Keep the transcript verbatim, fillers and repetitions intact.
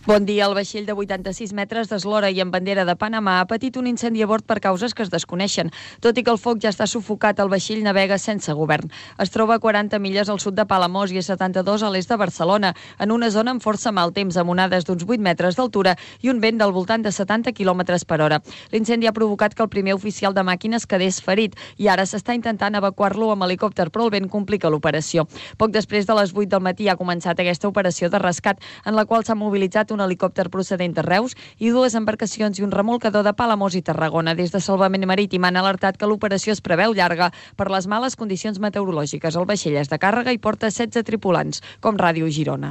Bon dia. El vaixell de vuitanta-sis metres d'eslora i amb bandera de Panamà ha patit un incendi a bord per causes que es desconeixen. Tot i que el foc ja està sufocat, el vaixell navega sense govern. Es troba a quaranta milles al sud de Palamós i a setanta-dos a l'est de Barcelona, en una zona amb força mal temps, amb onades d'uns vuit metres d'altura i un vent del voltant de setanta quilòmetres per hora. L'incendi ha provocat que el primer oficial de màquines quedés ferit i ara s'està intentant evacuar-lo amb helicòpter, però el vent complica l'operació. Poc després de les vuit del matí ha començat aquesta operació de rescat, en la qual s'ha mobilitzat un helicòpter procedent de Reus i dues embarcacions i un remolcador de Palamós i Tarragona. Des de Salvament Marítim han alertat que l'operació es preveu llarga per les males condicions meteorològiques. El vaixell és de càrrega i porta setze tripulants, com Ràdio Girona.